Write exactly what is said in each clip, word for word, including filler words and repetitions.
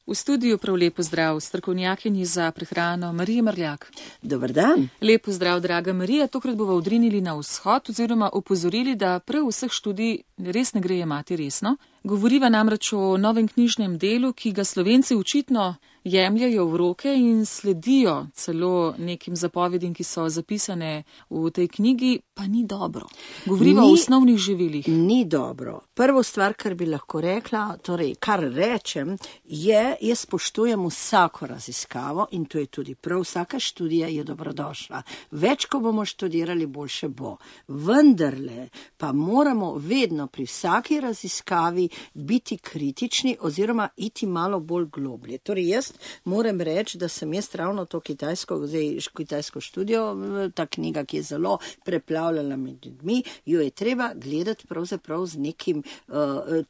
V studiu prav lep pozdrav strokovnjakinji za prehrano Mariji Mrljak. Dober dan. Lep pozdrav, draga Marija. Tokrat bova odrinili na vzhod oziroma opozorili, da prav vseh študij res ne gre jemati resno. Govoriva namreč o novem knjižnem delu, ki ga Slovenci očitno jemljajo v roke in sledijo celo nekim zapovedim, ki so zapisane v tej knjigi, pa ni dobro. Govoriva ni, o osnovnih živilih. Ni dobro. Prvo stvar, kar bi lahko rekla, torej kar rečem, je, jaz spoštujem vsako raziskavo in to je tudi prav, vsaka študija je dobrodošla. Več, ko bomo študirali, boljše bo. Vendarle pa moramo vedno pri vsaki raziskavi biti kritični oziroma iti malo bolj globlje. Torej jaz moram reči, da sem jaz ravno to kitajsko, zdaj kitajsko študijo, ta knjiga, ki je zelo preplavljala med ljudmi, jo je treba gledati pravzaprav z nekim, uh,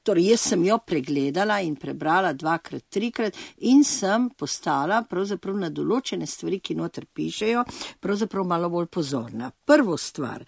torej jaz sem jo pregledala in prebrala dvakrat, trikrat in sem postala pravzaprav na določene stvari, ki noter pišejo, pravzaprav malo bolj pozorna. Prvo stvar,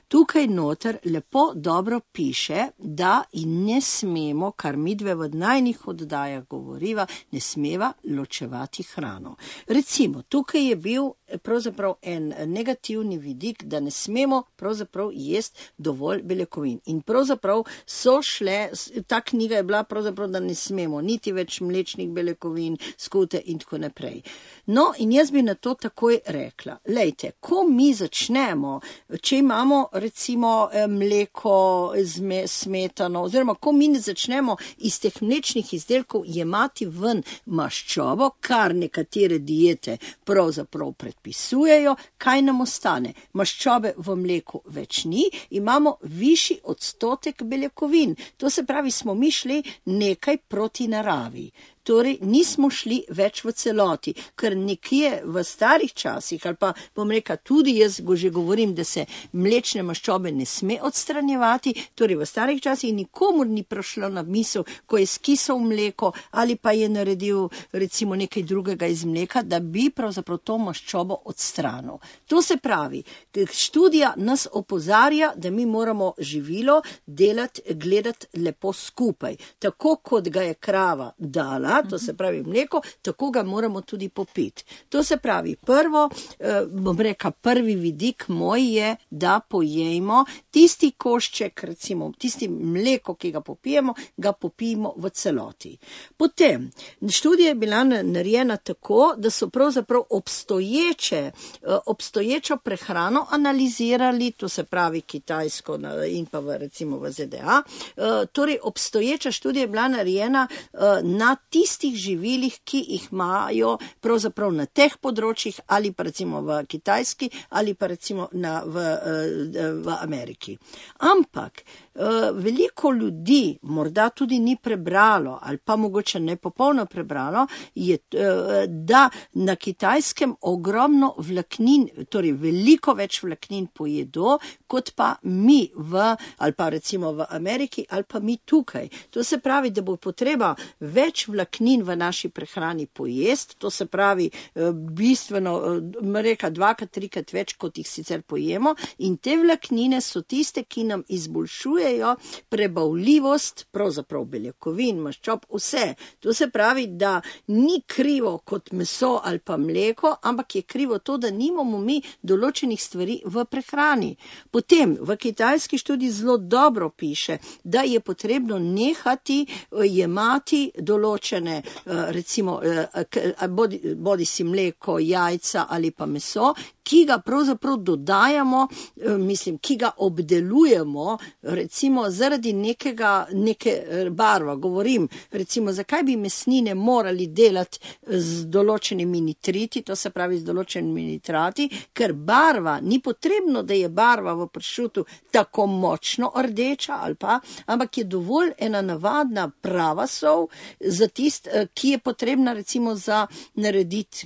tukaj noter lepo dobro piše, da in ne smemo, kar midve v najnih oddajah govoriva, ne smeva ločevati hrano. Recimo, tukaj je bil pravzaprav en negativni vidik, da ne smemo pravzaprav jesti dovolj beljakovin. In pravzaprav so šle, ta knjiga je bila pravzaprav, da ne smemo niti več mlečnih beljakovin, skute in tako naprej. No, in jaz bi na to takoj rekla, lejte, ko mi začnemo, če imamo recimo mleko, smetano, oziroma ko mi ne začnemo iz teh mlečnih izdelkov jemati ven maščobo, kar nekatere diete pravzaprav predpisujejo, kaj nam ostane? Maščobe v mleku več ni, imamo višji odstotek beljakovin. To se pravi, smo mi šli nekaj proti naravi. Torej, nismo šli več v celoti, ker nekje v starih časih, ali pa bom rekla, tudi jaz že govorim, da se mlečne maščobe ne sme odstranjevati, torej v starih časih nikomur ni prišlo na misel, ko je skisal mleko ali pa je naredil recimo nekaj drugega iz mleka, da bi pravzaprav to maščobo odstranil. To se pravi, študija nas opozarja, da mi moramo živilo delati, gledati lepo skupaj. Tako kot ga je krava dala, to se pravi mleko, tako ga moramo tudi popiti. To se pravi, prvo, eh, bom rekla, prvi vidik moj je, da pojejmo tisti košček, recimo tisti mleko, ki ga popijemo, ga popijemo v celoti. Potem, študija je bila narejena tako, da so pravzaprav obstoječe, eh, obstoječo prehrano analizirali, to se pravi kitajsko in pa v, recimo v Z D A, eh, torej obstoječa študija je bila narejena eh, na tistih živilih, ki jih imajo pravzaprav na teh področjih ali pa recimo v Kitajski ali pa recimo na, v, v Ameriki. Ampak veliko ljudi morda tudi ni prebralo ali pa mogoče ne popolno prebralo, je, da na Kitajskem ogromno vlaknin, torej veliko več vlaknin pojedo, kot pa mi v, ali pa recimo v Ameriki ali pa mi tukaj. To se pravi, da bo potreba več vlaknin v naši prehrani pojesti, to se pravi bistveno, reka dvakrat, trikrat več, kot jih sicer pojemo, in te vlaknine so tiste, ki nam izboljšujejo prebavljivost, pravzaprav beljakovin, maščob, vse. To se pravi, da ni krivo kot meso ali pa mleko, ampak je krivo to, da nimamo mi določenih stvari v prehrani. Potem v kitajski študiji zelo dobro piše, da je potrebno nehati jemati določene, recimo, bodi, bodi si mleko, jajca ali pa meso, ki ga pravzaprav dodajamo, mislim, ki ga obdelujemo, recimo zaradi nekega, neke barva. Govorim, recimo, zakaj bi mesnine morali delati z določenimi nitriti, to se pravi z določenimi nitrati, ker barva, ni potrebno, da je barva v pršutu tako močno rdeča ali pa, ampak je dovolj ena navadna prava sol za tist, ki je potrebna recimo za narediti,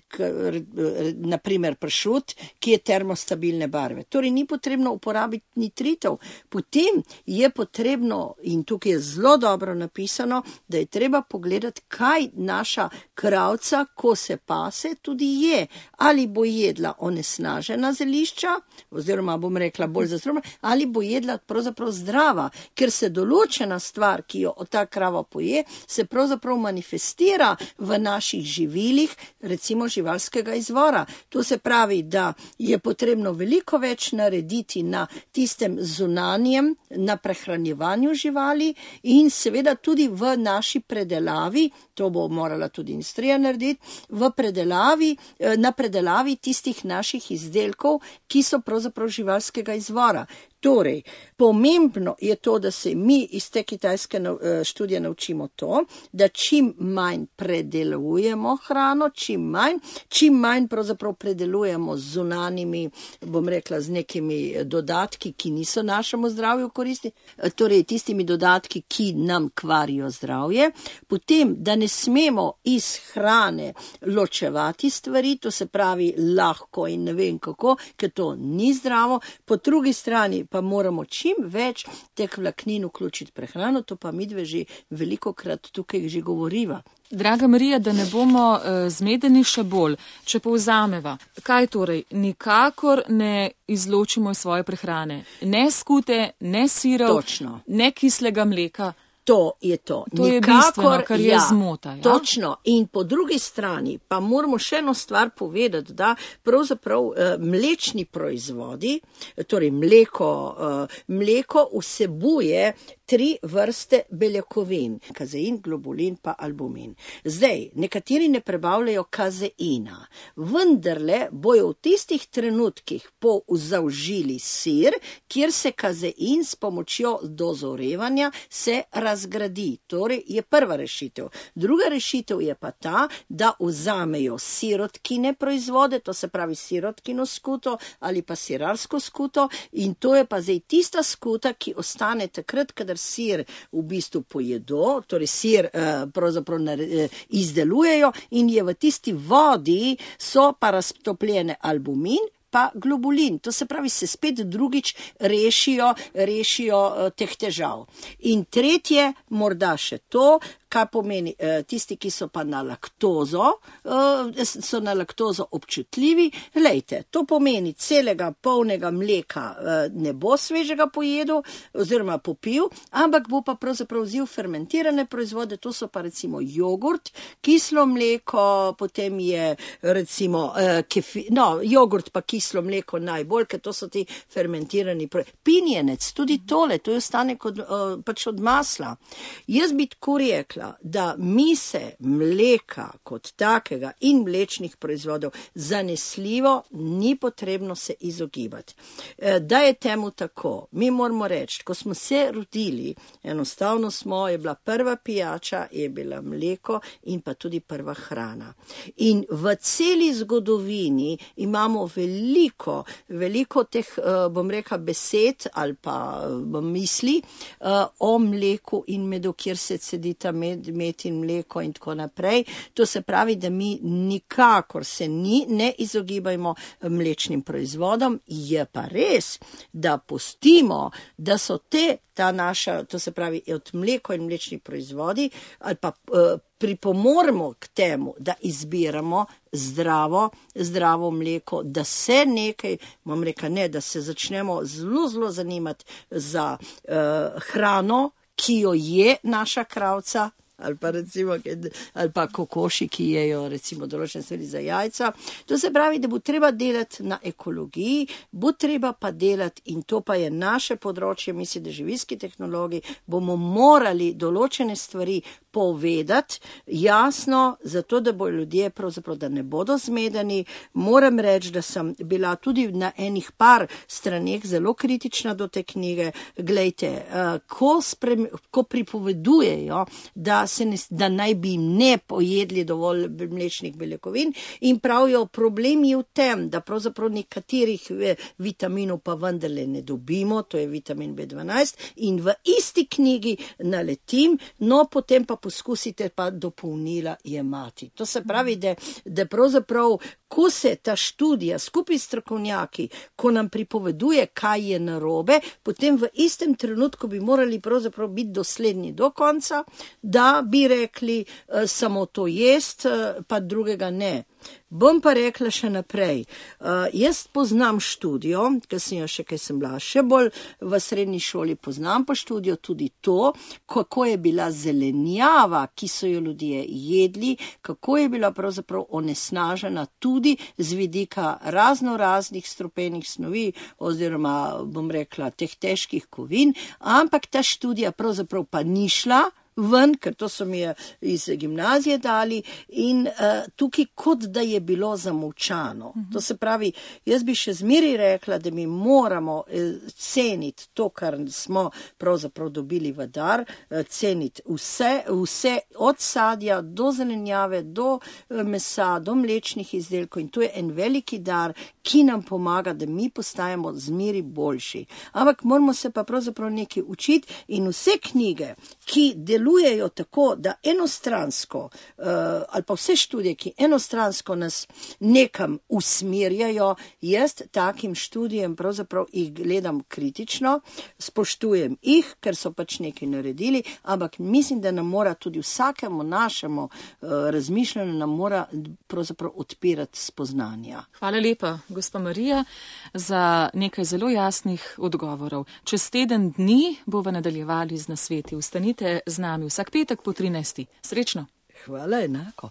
naprimer pršut, ki je termostabilne barve. Torej ni potrebno uporabiti nitritov. Potem je potrebno, in tukaj je zelo dobro napisano, da je treba pogledati, kaj naša kravca, ko se pase, tudi je. Ali bo jedla onesnažena zelišča, oziroma bom rekla bolj zastrupljena, ali bo jedla pravzaprav zdrava, ker se določena stvar, ki jo ta krava poje, se pravzaprav manifestira v naših živilih, recimo živalskega izvora. To se pravi, da je potrebno veliko več narediti na tistem zunanjem, na prehranjevanju živali in seveda tudi v naši predelavi, to bo morala tudi industrija narediti, v predelavi, na predelavi tistih naših izdelkov, ki so pravzaprav živalskega izvora. Torej, pomembno je to, da se mi iz te kitajske študije naučimo to, da čim manj predelujemo hrano, čim manj, čim manj pravzaprav predelujemo z zunanjimi, bom rekla, z nekimi dodatki, ki niso našemu zdravju koristi, torej tistimi dodatki, ki nam kvarijo zdravje. Potem, da ne smemo iz hrane ločevati stvari, to se pravi lahko in ne vem kako, ker to ni zdravo. Po drugi strani pa moramo čim več teh vlaknin vključiti prehrano, to pa midve že veliko krat tukaj že govoriva. Draga Marija, da ne bomo uh, zmedeni še bolj, če povzameva, kaj torej, nikakor ne izločimo iz svoje prehrane, ne skute, ne sirov, Točno. Ne kislega mleka. To je to. To je Nikakor, bistveno, kar je ja, zmota. Ja? Točno. In po drugi strani pa moramo še eno stvar povedati, da pravzaprav uh, mlečni proizvodi, torej mleko, uh, mleko vsebuje tri vrste beljakovin, kazein, globulin pa albumin. Zdaj, nekateri ne prebavljajo kazeina, vendarle bojo v tistih trenutkih pozaužili sir, kjer se kazein s pomočjo dozorevanja se razgradi. Torej je prva rešitev. Druga rešitev je pa ta, da vzamejo sirotkine proizvode, to se pravi sirotkino skuto ali pa sirarsko skuto, in to je pa zdaj tista skuta, ki ostane takrat, kadar sir v bistvu pojedo, torej sir eh, pravzaprav eh, izdelujejo in je v tisti vodi so pa raztopljene albumin pa globulin. To se pravi, se spet drugič rešijo, rešijo uh, teh težav. In tretje, morda še to, kaj pomeni, uh, tisti, ki so pa na laktozo, uh, so na laktozo občutljivi. Glejte, to pomeni, celega polnega mleka uh, ne bo svežega pojedel oziroma popil, ampak bo pa pravzaprav vzel fermentirane proizvode, to so pa recimo jogurt, kislo mleko, potem je recimo uh, kefi, no, jogurt pa kislo kislo mleko najbolj, ker to so ti fermentirani proizvodi. Pinjenec, tudi tole, to je ostane kot, uh, pač od masla. Jaz bi tako rekla, da mi se mleka kot takega in mlečnih proizvodov zanesljivo ni potrebno se izogibati. E, da je temu tako, mi moramo reči, ko smo se rodili, enostavno smo, je bila prva pijača, je bila mleko in pa tudi prva hrana. In v celi zgodovini imamo veliko Veliko, veliko teh, bom rekla, besed ali pa misli o mleku in medu, kjer se cedita med, med in mleko in tako naprej. To se pravi, da mi nikakor se ni, ne izogibajmo mlečnim proizvodom. Je pa res, da pustimo, da so te, ta naša, to se pravi, od mleko in mlečni proizvodi ali pa pripomoremo k temu, da izbiramo zdravo, zdravo mleko, da se nekaj, bom rekla ne, da se začnemo zelo, zelo zanimati za uh, hrano, ki jo je naša kravca, ali pa recimo, ali pa kokoši, ki jejo recimo določene stvari za jajca. To se pravi, da bo treba delati na ekologiji, bo treba pa delati, in to pa je naše področje, mislim, da živilski tehnologi, bomo morali določene stvari povedati jasno, zato da bo ljudje pravzaprav, da ne bodo zmedeni. Moram reči, da sem bila tudi na enih par straneh zelo kritična do te knjige. Glejte, ko, sprem, ko pripovedujejo, da, se ne, da naj bi ne pojedli dovolj mlečnih beljakovin in pravijo, problem je v tem, da pravzaprav nekaterih vitaminov pa vendarle ne dobimo, to je vitamin B dvanajst, in v isti knjigi naletim, no potem pa poskusite pa dopolnila jemati. To se pravi, da, da pravzaprav ko se ta študija skupaj s strokovnjaki, ko nam pripoveduje, kaj je narobe, potem v istem trenutku bi morali pravzaprav biti dosledni do konca, da bi rekli uh, samo to jest, uh, pa drugega ne. Bom pa rekla še naprej. Uh, jaz poznam študijo, ker sem jo še, kaj sem bila še bolj v srednji šoli, poznam pa študijo tudi to, kako je bila zelenjava, ki so jo ljudje jedli, kako je bila pravzaprav onesnažena tudi z vidika razno raznih strupenih snovi oziroma, bom rekla, teh težkih kovin, ampak ta študija pravzaprav pa ni šla ven, ker to so mi iz gimnazije dali in uh, tukaj kot da je bilo zamolčano. Uh-huh. To se pravi, jaz bi še zmeri rekla, da mi moramo eh, ceniti to, kar smo pravzaprav dobili v dar, eh, ceniti vse, vse od sadja do zelenjave, do eh, mesa, do mlečnih izdelkov in to je en veliki dar, ki nam pomaga, da mi postajamo zmeri boljši. Ampak moramo se pa pravzaprav nekaj učiti in vse knjige, ki delujejo tako, da enostransko, uh, ali pa vse študije, ki enostransko nas nekam usmerjajo, jaz takim študijem pravzaprav jih gledam kritično, spoštujem jih, ker so pač nekaj naredili, ampak mislim, da nam mora tudi vsakemu našemu uh, razmišljanju nam mora pravzaprav odpirati spoznanja. Hvala lepa, gospa Marija, za nekaj zelo jasnih odgovorov. Čez teden dni bova nadaljevali z nasveti. Ostanite z nami vsak petek po trinajsti. Srečno! Hvala enako.